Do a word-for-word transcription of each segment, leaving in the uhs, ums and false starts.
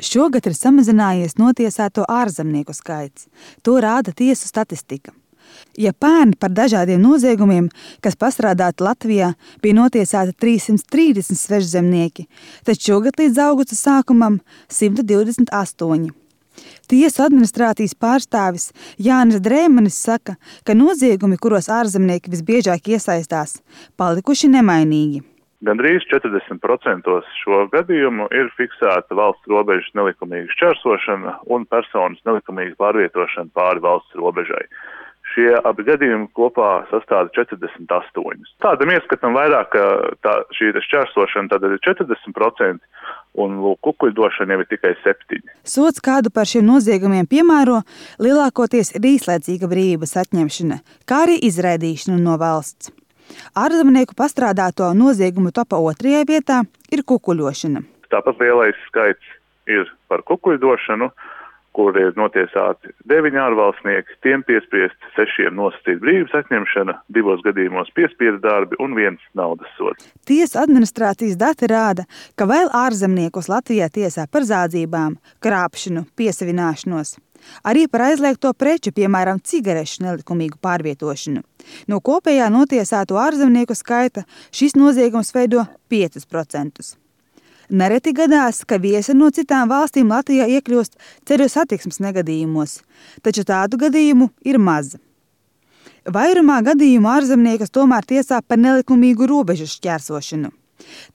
Šogad ir samazinājies notiesāto ārzemnieku skaits. To rāda tiesu statistika. Ja pērn par dažādiem noziegumiem, kas pastrādāti Latvijā, bija notiesāti trīssimt trīsdesmit svežzemnieki, tad šogad līdz augusta sākumam simt divdesmit astoņi. Tiesu administrācijas pārstāvis Jānis Drēmanis saka, ka noziegumi, kuros ārzemnieki visbiežāk iesaistās, palikuši nemainīgi. Gandrīz četrdesmit procenti šo gadījumu ir fiksēta valsts robežas nelikumīga šķērsošana un personas nelikumīga pārvietošana pāri valsts robežai. Šie abi gadījumi kopā sastāda četrdesmit astoņi. Tādam ieskatam vairāk, ka tā, šī šķērsošana tad ir četrdesmit procenti un kukuļdošana jau ir tikai septiņi. Sods, kādu par šiem noziegumiem piemēro, lielākoties ir īslaicīga brīvības atņemšana, kā arī izraidīšana no valsts. Ārzemnieku pastrādāto noziegumu topā otrajā vietā ir kukuļošana. Tāpat lielais skaits ir par kukuļdošanu, kur ir notiesāti deviņi ārvalstnieki, tiem piespriest sešiem nosacīt brīvības atņemšana, divos gadījumos piespiedu darbi un viens naudas sods. Tiesu administrācijas dati rāda, ka vēl ārzemniekus Latvijā tiesā par zādzībām, krāpšanu, piesavināšanos. Arī par aizliegto preču, piemēram, cigarešu nelikumīgu pārvietošanu. No kopējā notiesāto ārzemnieku skaita šis noziegums veido piecus procentus. Nereti gadās, ka viesi no citām valstīm Latvijā iekļūst ceļu satiksmes negadījumos, taču tādu gadījumu ir maz. Vairumā gadījumu ārzemniekus tomēr tiesā par nelikumīgu robežu šķērsošanu.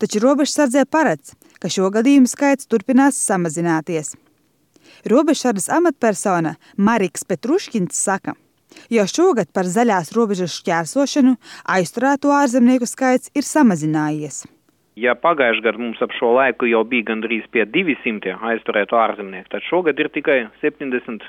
Taču robežsardzē paredz, ka šo gadījumu skaits turpinās samazināties. Robežsardzes amatpersona Mariks Petruškins saka, jo šogad par zaļās robežas šķērsošanu aizturēto ārzemnieku skaits ir samazinājies. Ja pagājušajā gadā mums ap šo laiku jau bija gandrīz pie divi simti aizturētu ārzemnieku, tad šogad ir tikai septiņdesmit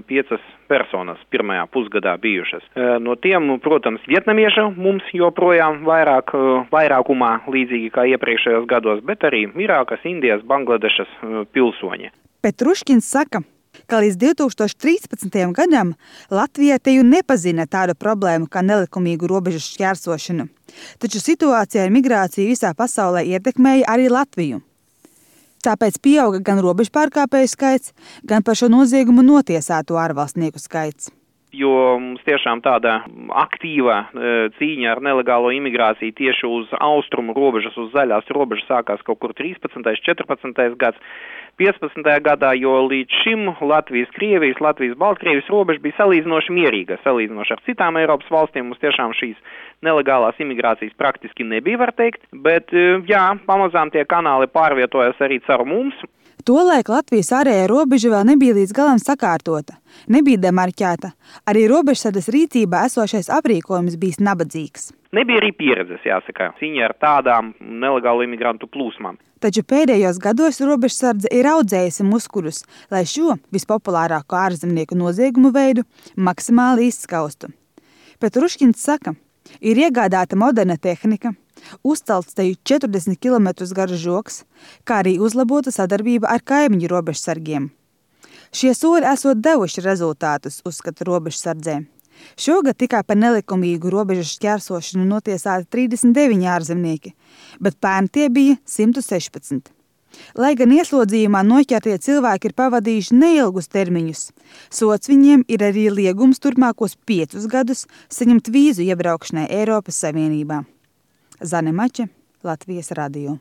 piecas personas pirmajā pusgadā bijušas. No tiem, protams, vietnamieši mums joprojām vairāk, vairākumā līdzīgi kā iepriekšējos gados, bet arī Irākas, Indijas, Bangladešas pilsoņi. Petruškins saka, ka līdz divi tūkstoši trīspadsmitajam gadam Latvijā teju nepazina tādu problēmu kā nelikumīgu robežu šķērsošanu, taču situācija ar migrāciju visā pasaulē ietekmēja arī Latviju. Tāpēc pieauga gan robežu pārkāpēju skaits, gan par šo noziegumu notiesāto ārvalstnieku skaits. Jo mums tiešām tāda aktīva cīņa ar nelegālo imigrāciju tieši uz austrumu robežas, uz zaļās robežas sākās kaut kur trīspadsmitais, četrpadsmitais gads. piecpadsmitajā gadā, jo līdz šim Latvijas, Krievijas, Latvijas, Baltkrievijas robeža bija salīdzinoši mierīga, salīdzinoši ar citām Eiropas valstīm. Mums tiešām šīs nelegālās imigrācijas praktiski nebija, var teikt, bet jā, pamazām tie kanāli pārvietojas arī caur mums. Tolaik Latvijas ārējā robeža vēl nebija līdz galam sakārtota, nebija demarķēta, arī robežsardzes rīcībā esošais aprīkojums bijis nabadzīgs. Nebija arī pieredzes, jāsaka, cīņa ar tādām nelegālu imigrantu plūsmām. Taču pēdējos gados robežsardze ir audzējusi muskuļus, lai šo vispopulārāko ārzemnieku noziegumu veidu maksimāli izskaustu. Petruškins saka, ir iegādāta moderna tehnika, uzcelts teju četrdesmit kilometrus garš žoks, kā arī uzlabota sadarbība ar kaimiņu robežsargiem. Šie soļi esot devuši rezultātus, uzskata robežsardzē. Šogad tikai par nelikumīgu robežu šķērsošanu notiesāti trīsdesmit deviņi ārzemnieki, bet pērn tie bija simt sešpadsmit. Lai gan ieslodzījumā noķertie cilvēki ir pavadījuši neilgus termiņus, sots viņiem ir arī liegums turpmākos piecus gadus saņemt vīzu iebraukšanai Eiropas Savienībā. Zane Mače, Latvijas radio.